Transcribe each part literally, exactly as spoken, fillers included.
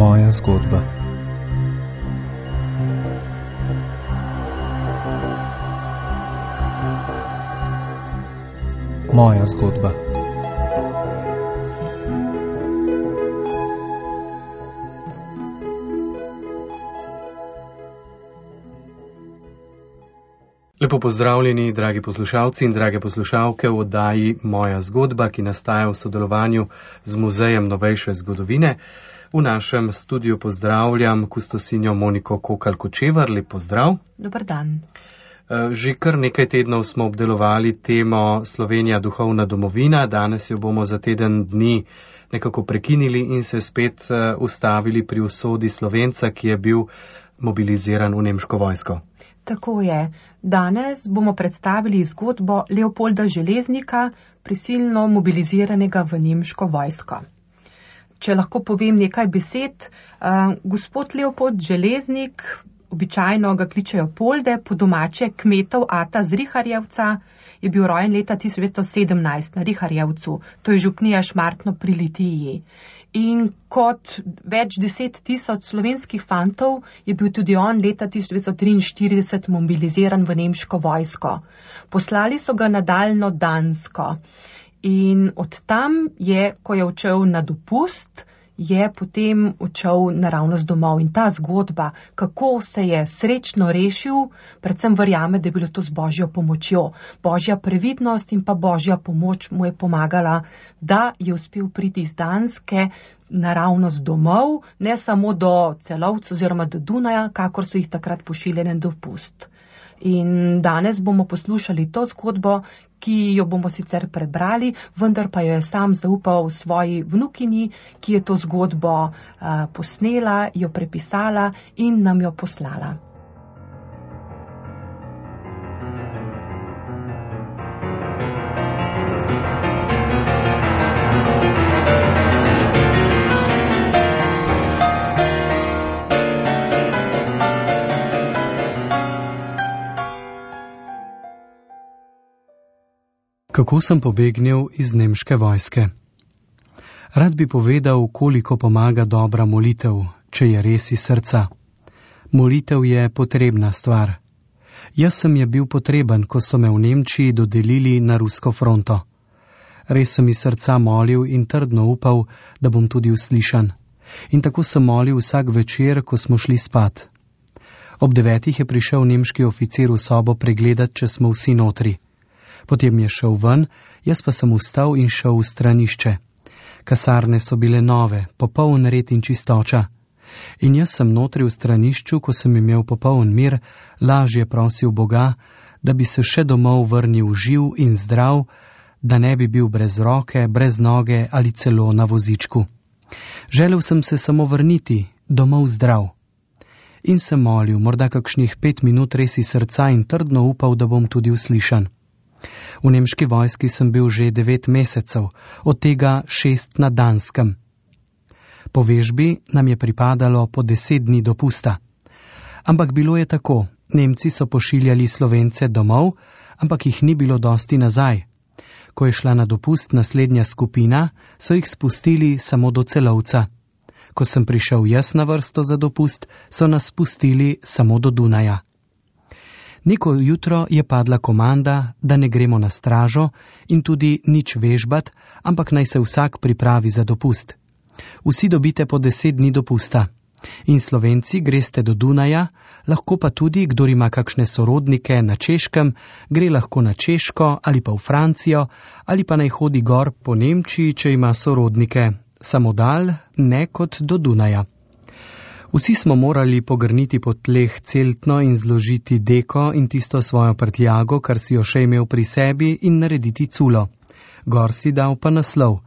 Moja zgodba. Moja zgodba. Lepo pozdravljeni, dragi poslušalci in drage poslušalke v oddaji Moja zgodba, ki nastaja v sodelovanju z Muzejem novejše zgodovine. V našem studiu pozdravljam kustosinjo Moniko Kokalj-Kočevar. Lep pozdrav. Dobar dan. Že kar nekaj tednov smo obdelovali temo Slovenija duhovna domovina. Danes jo bomo za teden dni nekako prekinili in se spet ustavili pri usodi Slovenca, ki je bil mobiliziran v nemško vojsko. Tako je. Danes bomo predstavili zgodbo Leopolda Železnika, prisilno mobiliziranega v nemško vojsko. Če lahko povem nekaj besed, uh, gospod Leopold Železnik, običajno ga kličejo Polde, po domače kmetov ata z Riharjevca, je bil rojen leta tisoč devetsto sedemnajst na Riharjevcu, to je župnija Šmartno pri Litiji. In kot več deset tisoč slovenskih fantov je bil tudi on leta tisoč devetsto triinštirideset mobiliziran v nemško vojsko. Poslali so ga na daljno Dansko in od tam je, ko je odšel na dopust, je potem odšel naravnost domov. In ta zgodba, kako se je srečno rešil, predvsem verjame, da je bilo to z Božjo pomočjo. Božja previdnost in pa Božja pomoč mu je pomagala, da je uspel priti iz Danske naravnost domov, ne samo do Celovca oziroma do Dunaja, kakor so jih takrat pošiljali na dopust. In danes bomo poslušali to zgodbo, ki jo bomo sicer prebrali, vendar pa jo je sam zaupal svoji vnukinji, ki je to zgodbo uh, posnela, jo prepisala in nam jo poslala. Kako sem pobegnil iz nemške vojske? Rad bi povedal, koliko pomaga dobra molitev, če je res iz srca. Molitev je potrebna stvar. Jaz sem je bil potreben, ko so me v Nemčiji dodelili na rusko fronto. Res sem iz srca molil in trdno upal, da bom tudi uslišan. In tako sem molil vsak večer, ko smo šli spat. Ob devetih je prišel nemški oficir v sobo pregledat, če smo vsi notri. Potem je šel ven, jaz pa sem vstal in šel v stranišče. Kasarne so bile nove, popoln red in čistoča. In jaz sem notri v stranišču, ko sem imel popoln mir, lažje prosil Boga, da bi se še domov vrnil živ in zdrav, da ne bi bil brez roke, brez noge ali celo na vozičku. Želel sem se samo vrniti, domov zdrav. In sem molil, morda kakšnih pet minut res iz srca in trdno upal, da bom tudi uslišan. V nemški vojski sem bil že devet mesecev, od tega šest na Danskem. Po vežbi nam je pripadalo po deset dni dopusta. Ampak bilo je tako, Nemci so pošiljali Slovence domov, ampak jih ni bilo dosti nazaj. Ko je šla na dopust naslednja skupina, so jih spustili samo do Celovca. Ko sem prišel jaz na vrsto za dopust, so nas spustili samo do Dunaja. Neko jutro je padla komanda, da ne gremo na stražo in tudi nič vežbat, ampak naj se vsak pripravi za dopust. Vsi dobite po deset dni dopusta. In Slovenci greste do Dunaja, lahko pa tudi, kdor ima kakšne sorodnike na Češkem, gre lahko na Češko ali pa v Francijo, ali pa naj hodi gor po Nemčiji, če ima sorodnike. Samo dal, ne kot do Dunaja. Vsi smo morali pogrniti po tleh celtno in zložiti deko in tisto svojo prtljago, kar si jo še imel pri sebi, in narediti culo. Gor si dal pa naslov.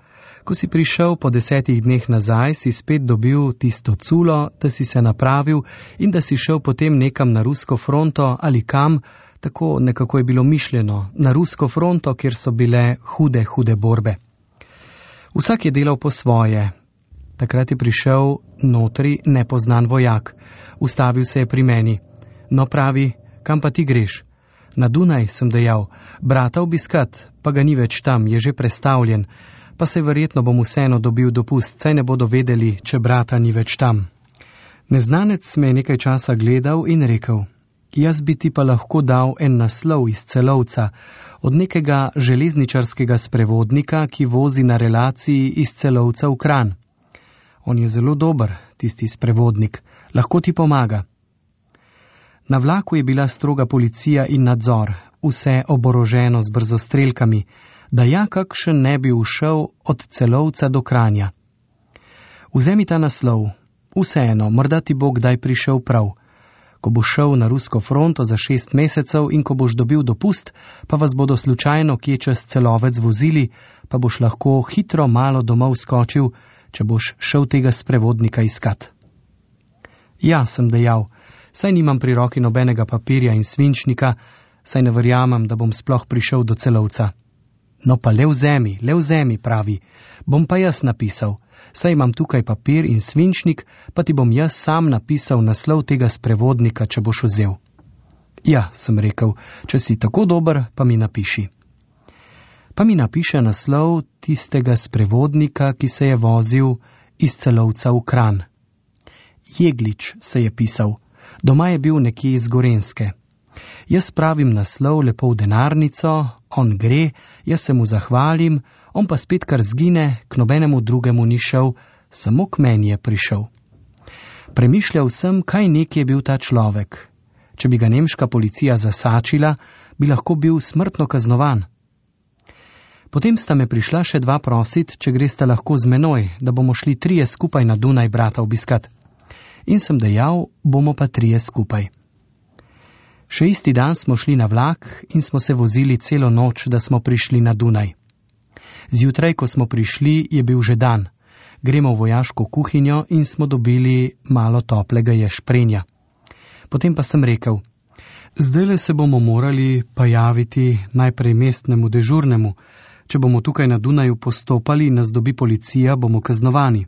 Ko si prišel po desetih dneh nazaj, si spet dobil tisto culo, da si se napravil in da si šel potem nekam na rusko fronto ali kam, tako nekako je bilo mišljeno, na rusko fronto, kjer so bile hude, hude borbe. Vsak je delal po svoje. Takrat je prišel notri nepoznan vojak. Ustavil se je pri meni. No, pravi, kam pa ti greš? Na Dunaj, sem dejal. Brata obiskat, pa ga ni več tam, je že prestavljen. Pa se verjetno bom vseeno dobil dopust, saj ne bodo vedeli, če brata ni več tam. Neznanec me je nekaj časa gledal in rekel: Jaz bi ti pa lahko dal en naslov iz Celovca, od nekega železničarskega sprevodnika, ki vozi na relaciji iz Celovca v Kranj. On je zelo dober, tisti sprevodnik, lahko ti pomaga. Na vlaku je bila stroga policija in nadzor, vse oboroženo z brzostrelkami, da ja kakšen ne bi ušel od Celovca do Kranja. Vzemi ta naslov, vseeno, morda ti bo kdaj prišel prav. Ko boš šel na rusko fronto za šest mesecev in ko boš dobil dopust, pa vas bodo slučajno kje čez Celovec vozili, pa boš lahko hitro malo domov skočil, če boš šel tega sprevodnika iskat. Ja, sem dejal, saj nimam pri roki nobenega papirja in svinčnika, saj ne verjamem, da bom sploh prišel do Celovca. No pa le vzemi, le vzemi, pravi, bom pa jaz napisal, saj imam tukaj papir in svinčnik, pa ti bom jaz sam napisal naslov tega sprevodnika, če boš vzel. Ja, sem rekel, če si tako dober, pa mi napiši. Pa mi napiše naslov tistega sprevodnika, ki se je vozil iz Celovca v Kranj. Jeglič se je pisal, doma je bil nekje iz Gorenjske. Jaz pravim naslov lepo v denarnico, on gre, jaz se mu zahvalim, on pa spet kar zgine, k nobenemu drugemu ni šel, samo k meni je prišel. Premišljal sem, kaj nek je bil ta človek. Če bi ga nemška policija zasačila, bi lahko bil smrtno kaznovan. Potem sta me prišla še dva prosit, če gresta lahko z menoj, da bomo šli trije skupaj na Dunaj brata obiskat. In sem dejal, bomo pa trije skupaj. Še isti dan smo šli na vlak in smo se vozili celo noč, da smo prišli na Dunaj. Zjutraj, ko smo prišli, je bil že dan. Gremo v vojaško kuhinjo in smo dobili malo toplega ješprenja. Potem pa sem rekel, zdajle se bomo morali pa javiti najprej mestnemu dežurnemu. Če bomo tukaj na Dunaju postopali in nas dobi policija, bomo kaznovani.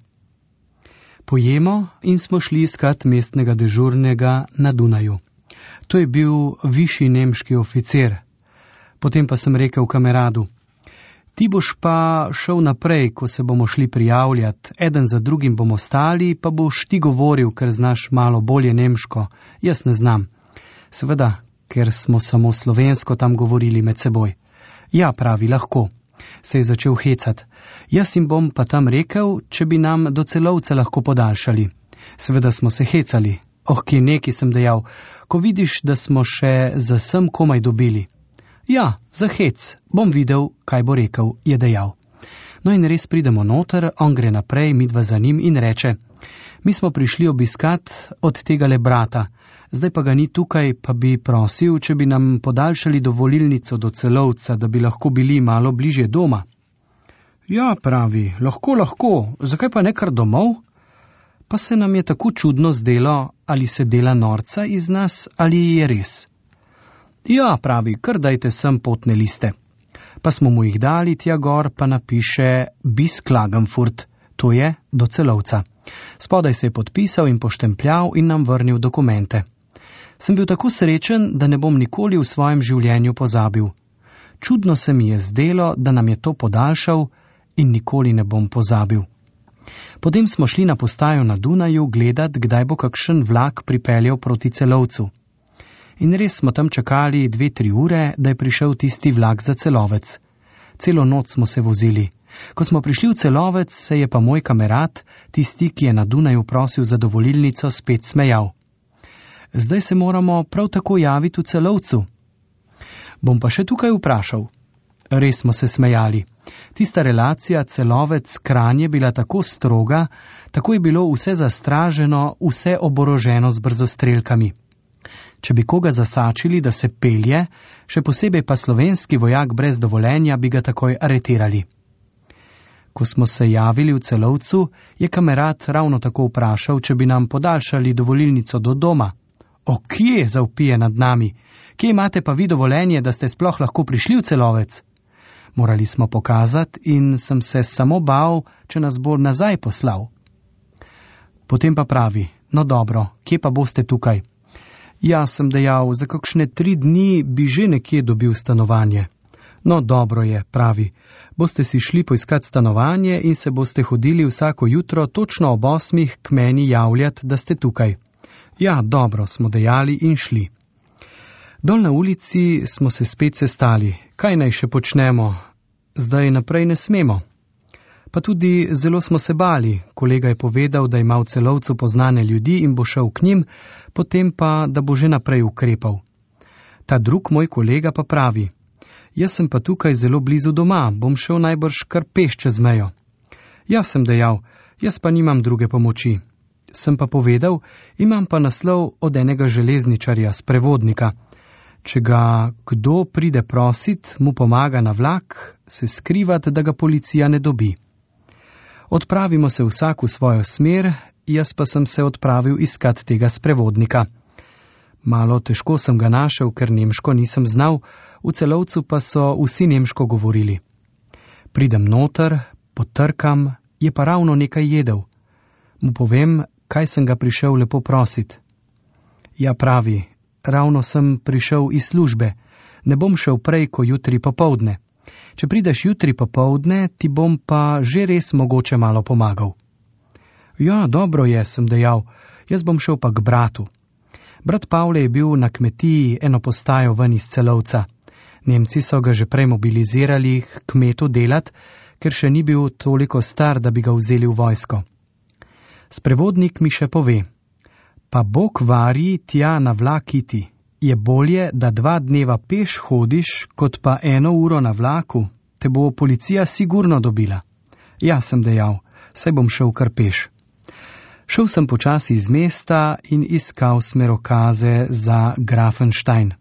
Pojemo in smo šli iskat mestnega dežurnega na Dunaju. To je bil višji nemški oficer. Potem pa sem rekel kameradu, ti boš pa šel naprej, ko se bomo šli prijavljati, eden za drugim bomo stali, pa boš ti govoril, ker znaš malo bolje nemško, jaz ne znam. Seveda, ker smo samo slovensko tam govorili med seboj. Ja, pravi, lahko. Se je začel hecat. Jaz jim bom pa tam rekel, če bi nam do Celovca lahko podaljšali. Seveda smo se hecali. Oh, kje neki, sem dejal, ko vidiš, da smo še za sem komaj dobili. Ja, za hec, bom videl, kaj bo rekel, je dejal. No in res pridemo noter, on gre naprej, midva za njim in reče, mi smo prišli obiskat od tega le brata, zdaj pa ga ni tukaj, pa bi prosil, če bi nam podaljšali dovolilnico do Celovca, da bi lahko bili malo bližje doma. Ja, pravi, lahko, lahko, zakaj pa ne kar domov? Pa se nam je tako čudno zdelo, ali se dela norca iz nas, ali je res. Ja, pravi, kar dajte sem potne liste. Pa smo mu jih dali tja gor, pa napiše bis Klagenfurt, to je do Celovca. Spodaj se je podpisal in poštempljal in nam vrnil dokumente. Sem bil tako srečen, da ne bom nikoli v svojem življenju pozabil. Čudno se mi je zdelo, da nam je to podaljšal in nikoli ne bom pozabil. Potem smo šli na postajo na Dunaju gledat, kdaj bo kakšen vlak pripeljal proti Celovcu. In res smo tam čakali dve, tri ure, da je prišel tisti vlak za Celovec. Celo noč smo se vozili. Ko smo prišli v Celovec, se je pa moj kamerad, tisti, ki je na Dunaju prosil za dovolilnico, spet smejal. Zdaj se moramo prav tako javiti v Celovcu. Bom pa še tukaj vprašal. Res smo se smejali. Tista relacija Celovec-Kranj je bila tako stroga, tako je bilo vse zastraženo, vse oboroženo z brzostrelkami. Če bi koga zasačili, da se pelje, še posebej pa slovenski vojak brez dovoljenja, bi ga takoj aretirali. Ko smo se javili v Celovcu, je kamerad ravno tako vprašal, če bi nam podaljšali dovolilnico do doma. O, kje, zavpije nad nami? Kje imate pa vi dovoljenje, da ste sploh lahko prišli v Celovec? Morali smo pokazati in sem se samo bal, če nas bo nazaj poslal. Potem pa pravi, no dobro, kje pa boste tukaj? Ja, sem dejal, za kakšne tri dni bi že nekje dobil stanovanje. No, dobro je, pravi. Boste si šli poiskat stanovanje in se boste hodili vsako jutro točno ob osmih k meni javljati, da ste tukaj. Ja, dobro, smo dejali in šli. Dol na ulici smo se spet sestali. Kaj naj še počnemo? Zdaj naprej ne smemo. Pa tudi zelo smo se bali. Kolega je povedal, da ima v Celovcu poznane ljudi in bo šel k njim, potem pa, da bo že naprej ukrepal. Ta drug moj kolega pa pravi: jaz sem pa tukaj zelo blizu doma, bom šel najbrž kar peš čez mejo. Jaz sem dejal, jaz pa nimam druge pomoči. Sem pa povedal, imam pa naslov od enega železničarja, sprevodnika. Če ga kdo pride prosit, mu pomaga na vlak, se skrivat, da ga policija ne dobi. Odpravimo se vsak v svojo smer, jaz pa sem se odpravil iskat tega sprevodnika. Malo težko sem ga našel, ker nemško nisem znal, v Celovcu pa so vsi nemško govorili. Pridem noter, potrkam, je pa ravno nekaj jedel. Mu povem, kaj sem ga prišel lepo prosit. Ja, pravi, ravno sem prišel iz službe, ne bom šel prej, ko jutri popoldne. Če prideš jutri popoldne, ti bom pa že res mogoče malo pomagal. Ja, dobro je, sem dejal, jaz bom šel pa k bratu. Brat Pavle je bil na kmetiji eno postajo ven iz Celovca. Nemci so ga že prej mobilizirali k kmetu delat, ker še ni bil toliko star, da bi ga vzeli v vojsko. Sprevodnik mi še pove: pa Bog vari tja na vlak iti. Je bolje, da dva dneva peš hodiš, kot pa eno uro na vlaku, te bo policija sigurno dobila. Ja, sem dejal, saj bom šel kar peš. Šel sem počasi iz mesta in iskal smerokaze za Grafenstein.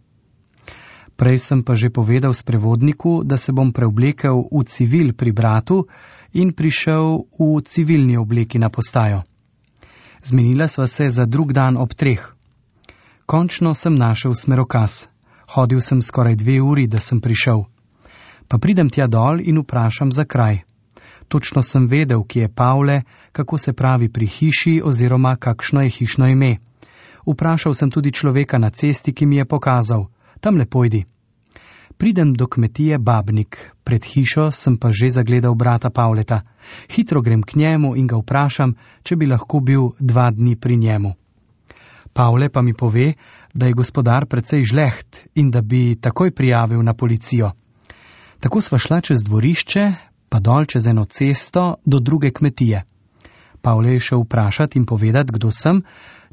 Prej sem pa že povedal sprevodniku, da se bom preoblekel v civil pri bratu in prišel v civilni obleki na postajo. Zmenila sva se za drug dan ob treh. Končno sem našel smerokaz. Hodil sem skoraj dve uri, da sem prišel. Pa pridem tja dol in vprašam za kraj. Točno sem vedel, kje je Pavle, kako se pravi pri hiši oziroma kakšno je hišno ime. Vprašal sem tudi človeka na cesti, ki mi je pokazal: tam le pojdi. Pridem do kmetije Babnik. Pred hišo sem pa že zagledal brata Pavleta. Hitro grem k njemu in ga vprašam, če bi lahko bil dva dni pri njemu. Pavle pa mi pove, da je gospodar precej žleht in da bi takoj prijavil na policijo. Tako sva šla čez dvorišče, pa dol čez eno cesto do druge kmetije. Pavle je šel vprašati in povedati, kdo sem,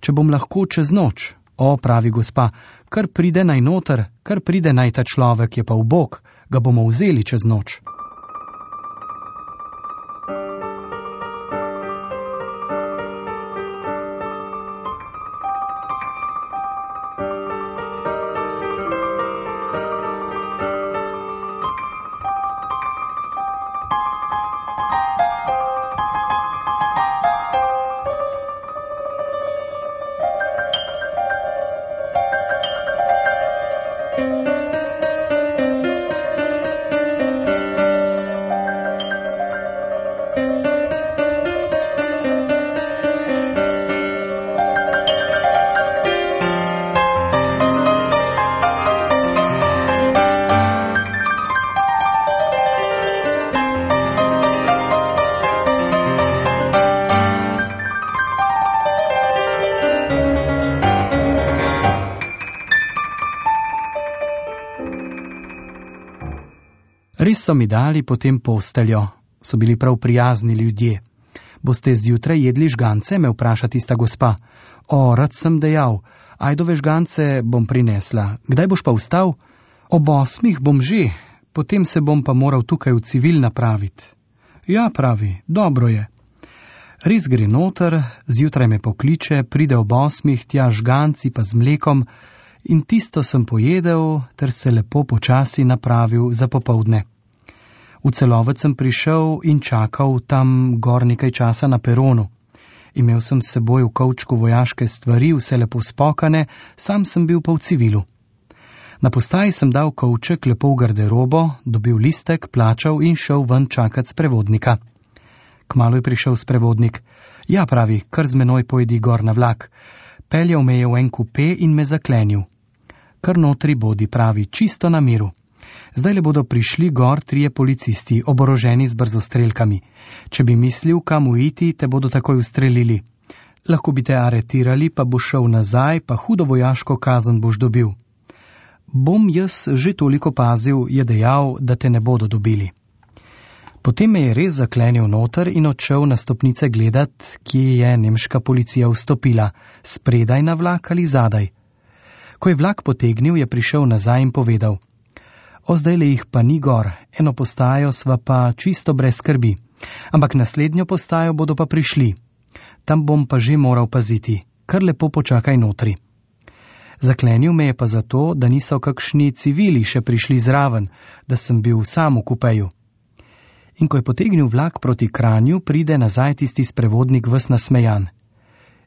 če bom lahko čez noč. O, pravi gospa, kar pride naj noter, kar pride naj ta človek, je pa ubog, ga bomo vzeli čez noč. Res so mi dali potem posteljo, so bili prav prijazni ljudje. Boste zjutraj jedli žgance, me vpraša tista gospa. O, rad sem dejal, ajdove žgance bom prinesla. Kdaj boš pa vstal? Ob osmih bom že, potem se bom pa moral tukaj v civil napraviti. Ja, pravi, dobro je. Res gre noter, zjutraj me pokliče, pride ob osmih, tja žganci pa z mlekom in tisto sem pojedel, ter se lepo počasi napravil za popoldne. V Celovec sem prišel in čakal tam gor nekaj časa na peronu. Imel sem s seboj v kovčku vojaške stvari, vse lepo spokane, sam sem bil pa v civilu. Na postaji sem dal kovček lepo v garderobo, dobil listek, plačal in šel ven čakat sprevodnika. Kmalu je prišel sprevodnik. Ja, pravi, kar z menoj pojdi gor na vlak. Peljal me je v en kupe in me zaklenil. Kar notri bodi, pravi, čisto na miru. Zdaj le bodo prišli gor trije policisti, oboroženi z brzostrelkami. Če bi mislil, kam uiti, te bodo takoj ustrelili. Lahko bi te aretirali, pa boš šel nazaj, pa hudo vojaško kazen boš dobil. Bom jaz že toliko pazil, je dejal, da te ne bodo dobili. Potem me je res zaklenil noter in odšel na stopnice gledat, kje je nemška policija vstopila, spredaj na vlak ali zadaj. Ko je vlak potegnil, je prišel nazaj in povedal: O, zdajle jih pa ni gor, eno postajo sva pa čisto brez skrbi, ampak naslednjo postajo bodo pa prišli. Tam bom pa že moral paziti, kar lepo počakaj notri. Zaklenil me je pa zato, da niso kakšni civili še prišli zraven, da sem bil sam v kupeju. In ko je potegnil vlak proti Kranju, pride nazaj tisti sprevodnik ves nasmejan.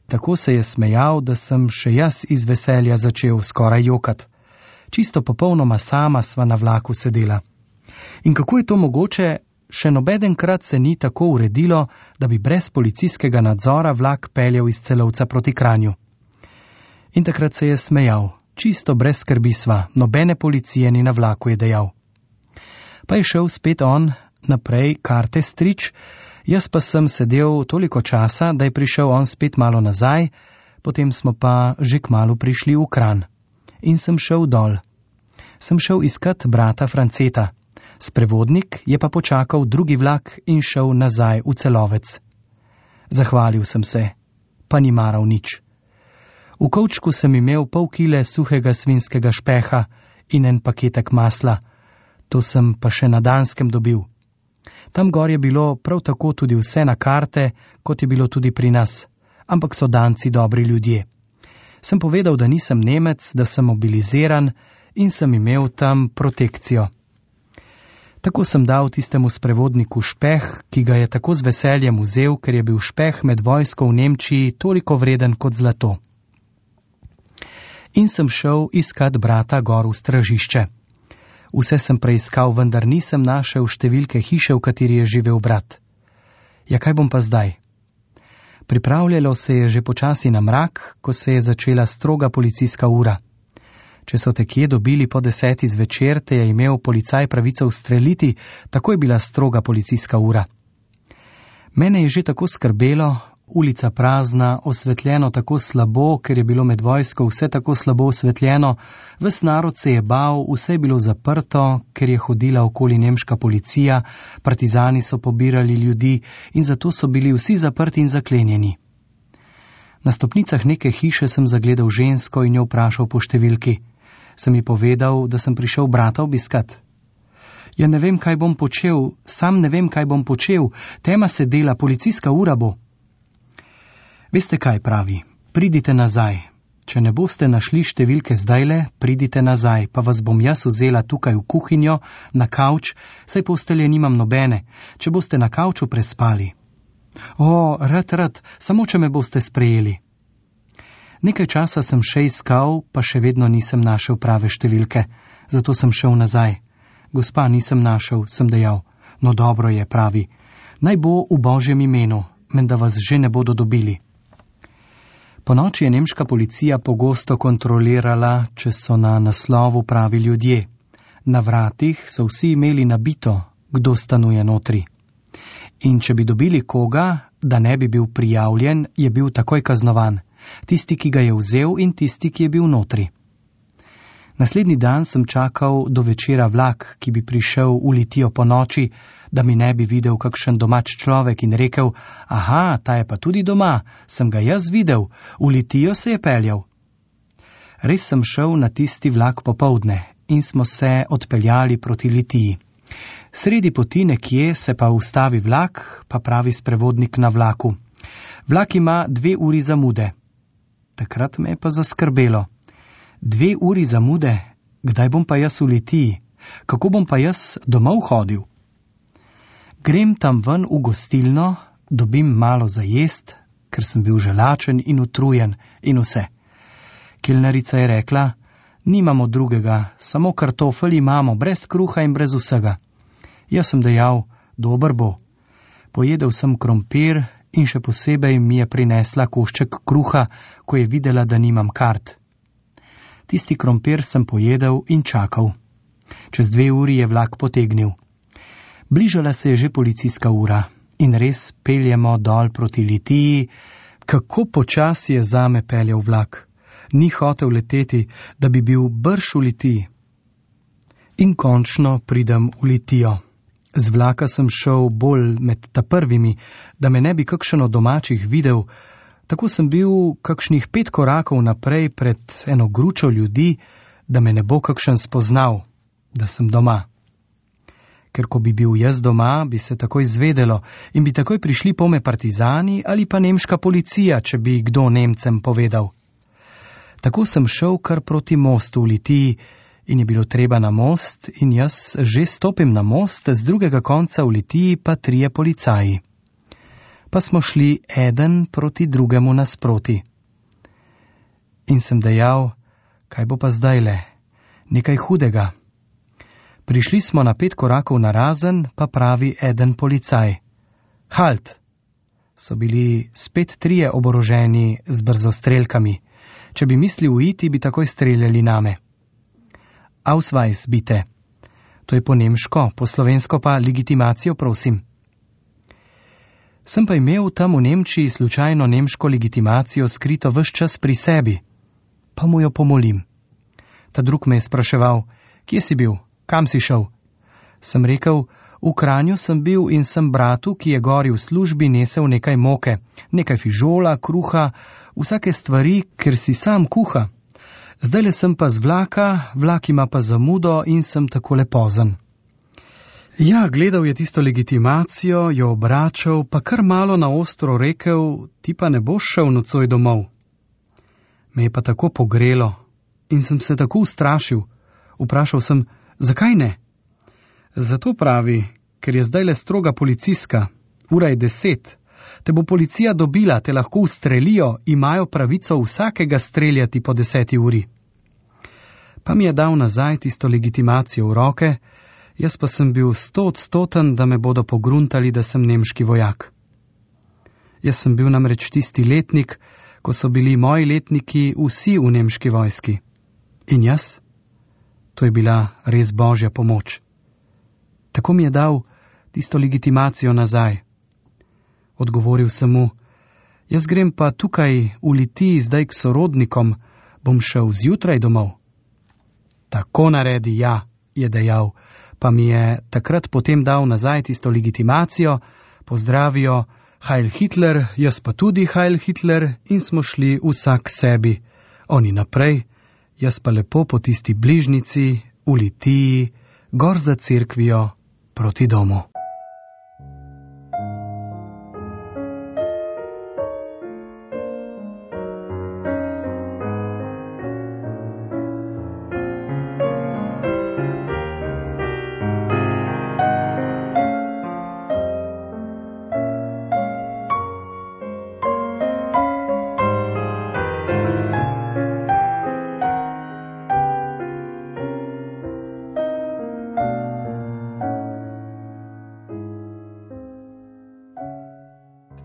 Tako se je smejal, da sem še jaz iz veselja začel skoraj jokat. Čisto popolnoma sama sva na vlaku sedela. In kako je to mogoče, še nobedenkrat se ni tako uredilo, da bi brez policijskega nadzora vlak peljal iz Celovca proti Kranju. In takrat se je smejal, čisto brez skrbi sva, nobene policije ni na vlaku, je dejal. Pa je šel spet on naprej karte strič, jaz pa sem sedel toliko časa, da je prišel on spet malo nazaj, potem smo pa že kmalu prišli v Kranj. In sem šel dol. Sem šel iskat brata Franceta. Sprevodnik je pa počakal drugi vlak in šel nazaj v Celovec. Zahvalil sem se, pa ni maral nič. V kovčku sem imel pol kile suhega svinskega špeha in en paketek masla. To sem pa še na Danskem dobil. Tam gor je bilo prav tako tudi vse na karte, kot je bilo tudi pri nas. Ampak so Danci dobri ljudje. Sem povedal, da nisem Nemec, da sem mobiliziran in sem imel tam protekcijo. Tako sem dal tistemu sprevodniku špeh, ki ga je tako z veseljem vzel, ker je bil špeh med vojsko v Nemčiji toliko vreden kot zlato. In sem šel iskat brata gor v stražišče. Vse sem preiskal, vendar nisem našel številke hiše, v kateri je živel brat. Ja, kaj bom pa zdaj? Pripravljalo se je že počasi na mrak, ko se je začela stroga policijska ura. Če so te kje dobili po deseti zvečer, te je imel policaj pravico ustreliti, tako je bila stroga policijska ura. Mene je že tako skrbelo, ulica prazna, osvetljeno tako slabo, ker je bilo med vojsko vse tako slabo osvetljeno, ves narod se je bal, vse je bilo zaprto, ker je hodila okoli nemška policija, partizani so pobirali ljudi in zato so bili vsi zaprti in zaklenjeni. Na stopnicah neke hiše sem zagledal žensko in jo vprašal po številki. Sem ji povedal, da sem prišel brata obiskat. Ja, ne vem, kaj bom počel, sam ne vem, kaj bom počel, tema se dela, policijska ura bo. Veste kaj pravi, pridite nazaj. Če ne boste našli številke zdajle, pridite nazaj, pa vas bom jaz vzela tukaj v kuhinjo, na kavč, saj postelje nimam nobene, če boste na kavču prespali. O, rad, rad, samo če me boste sprejeli. Nekaj časa sem še iskal, pa še vedno nisem našel prave številke, zato sem šel nazaj. Gospa, nisem našel, sem dejal. No dobro je, pravi. Naj bo v Božjem imenu, menda vas že ne bodo dobili. Po noči je nemška policija pogosto kontrolirala, če so na naslovu pravi ljudje. Na vratih so vsi imeli nabito, kdo stanuje notri. In če bi dobili koga, da ne bi bil prijavljen, je bil takoj kaznovan. Tisti, ki ga je vzel in tisti, ki je bil notri. Naslednji dan sem čakal do večera vlak, ki bi prišel v Litijo po noči, da mi ne bi videl kakšen domač človek in rekel, aha, ta je pa tudi doma, sem ga jaz videl, v Litijo se je peljal. Res sem šel na tisti vlak popoldne in smo se odpeljali proti Litiji. Sredi poti nekje se pa ustavi vlak, pa pravi sprevodnik na vlaku. Vlak ima dve uri zamude. Takrat me je pa zaskrbelo. Dve uri zamude, kdaj bom pa jaz v Litiji? Kako bom pa jaz domov hodil? Grem tam ven v gostilno, dobim malo za jest, ker sem bil želačen in utrujen in vse. Kelnerica je rekla, nimamo drugega, samo kartofel imamo, brez kruha in brez vsega. Jaz sem dejal, dober bo. Pojedel sem krompir in še posebej mi je prinesla košček kruha, ko je videla, da nimam kart. Tisti krompir sem pojedel in čakal. Čez dve uri je vlak potegnil. Bližala se je že policijska ura in res peljemo dol proti Litiji. Kako počasi je zame peljal vlak. Ni hotel leteti, da bi bil brž v Litiji. In končno pridem v Litijo. Z vlaka sem šel bolj med ta prvimi, da me ne bi kakšen od domačih videl. Tako sem bil kakšnih pet korakov naprej pred eno gručo ljudi, da me ne bo kakšen spoznal, da sem doma. Ker ko bi bil jaz doma, bi se takoj zvedelo in bi takoj prišli pome partizani ali pa nemška policija, če bi kdo Nemcem povedal. Tako sem šel kar proti mostu v Litiji in je bilo treba na most in jaz že stopim na most, z drugega konca v Litiji pa trije policaji. Pa smo šli eden proti drugemu nasproti. In sem dejal, kaj bo pa zdajle, nekaj hudega. Prišli smo na pet korakov narazen, pa pravi eden policaj. Halt! So bili spet trije oboroženi z brzostrelkami. Če bi mislil uiti, bi takoj streljali name. Ausweis, bite. To je po nemško, po slovensko pa legitimacijo, prosim. Sem pa imel tam v Nemčiji slučajno nemško legitimacijo skrito ves čas pri sebi. Pa mu jo pomolim. Ta drug me je spraševal, kje si bil? Kam si šel? Sem rekel, v Kranju sem bil in sem bratu, ki je gori v službi, nesel nekaj moke, nekaj fižola, kruha, vsake stvari, ker si sam kuha. Zdajle sem pa z vlaka, vlak ima pa zamudo in sem takole pozen. Ja, gledal je tisto legitimacijo, jo obračal, pa kar malo na ostro rekel, ti pa ne boš šel nocoj domov. Me je pa tako pogrelo in sem se tako ustrašil. Vprašal sem, zakaj ne? Zato pravi, ker je zdajle stroga policijska, ura je deset, te bo policija dobila, te lahko ustrelijo, imajo pravico vsakega streljati po deseti uri. Pa mi je dal nazaj tisto legitimacijo v roke, jaz pa sem bil stoodstoten, da me bodo pogruntali, da sem nemški vojak. Jaz sem bil namreč tisti letnik, ko so bili moji letniki vsi v nemški vojski. In jaz? To je bila res božja pomoč. Tako mi je dal tisto legitimacijo nazaj. Odgovoril sem mu, jaz grem pa tukaj v Litiji zdaj k sorodnikom, bom šel zjutraj domov. Tako naredi, ja, je dejal, pa mi je takrat potem dal nazaj tisto legitimacijo, pozdravijo, Heil Hitler, jaz pa tudi Heil Hitler in smo šli vsak sebi. Oni naprej, jaz pa lepo po tisti bližnici, v Litiji, gor za cerkvijo, proti domu.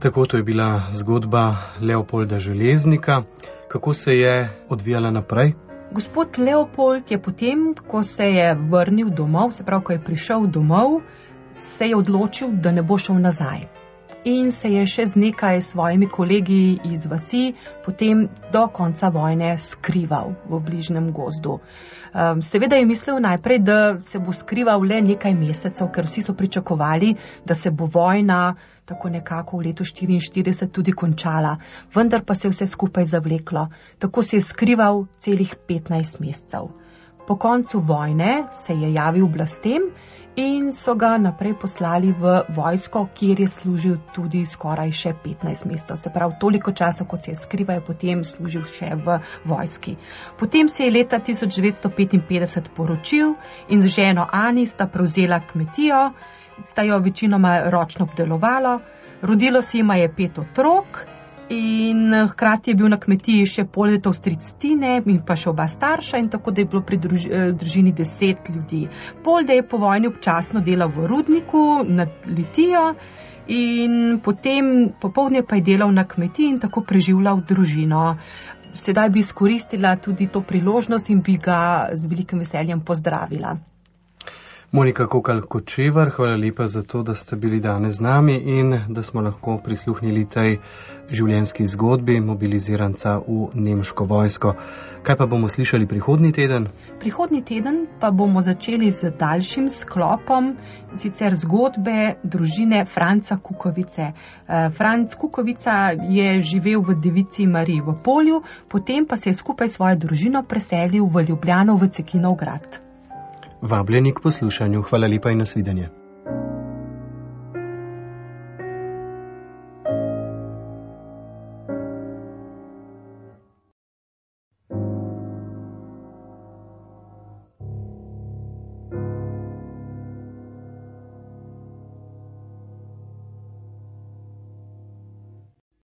Tako to je bila zgodba Leopolda Železnika. Kako se je odvijala naprej? Gospod Leopold je potem, ko se je vrnil domov, se pravi, ko je prišel domov, se je odločil, da ne bo šel nazaj. In se je še z nekaj svojimi kolegi iz vasi potem do konca vojne skrival v bližnjem gozdu. Um, seveda je mislil najprej, da se bo skrival le nekaj mesecev, ker vsi so pričakovali, da se bo vojna tako nekako v letu štiriinštirideset tudi končala, vendar pa se je vse skupaj zavleklo. Tako se je skrival celih petnajst mesecev. Po koncu vojne se je javil oblastem in so ga naprej poslali v vojsko, kjer je služil tudi skoraj še petnajst mesecev. Se pravi, toliko časa, kot se je skrival, je potem služil še v vojski. Potem se je leta tisoč devetsto petinpetdeset poročil in z ženo Ani sta prevzela kmetijo, sta jo večinoma ročno obdelovalo, rodilo si jima je pet otrok in hkrati je bil na kmetiji še Poldetov stric Tine in pa še oba starša in tako, da je bilo pri druž, družini deset ljudi. Polde je po vojni občasno delal v rudniku nad Litijo in potem popoldne pa je delal na kmetiji in tako preživljal družino. Sedaj bi izkoristila tudi to priložnost in bi ga z velikim veseljem pozdravila. Monika Kokal-Kočevar, hvala lepa za to, da ste bili danes z nami in da smo lahko prisluhnili tej življenjski zgodbi mobiliziranca v nemško vojsko. Kaj pa bomo slišali prihodnji teden? Prihodnji teden pa bomo začeli z daljšim sklopom, sicer zgodbe družine Franca Kukovice. Franc Kukovica je živel v Devici Mariji v Polju, potem pa se je skupaj s svojo družino preselil v Ljubljano v Cekinov grad. Vabljeni k poslušanju. Hvala lepa in nasvidenje.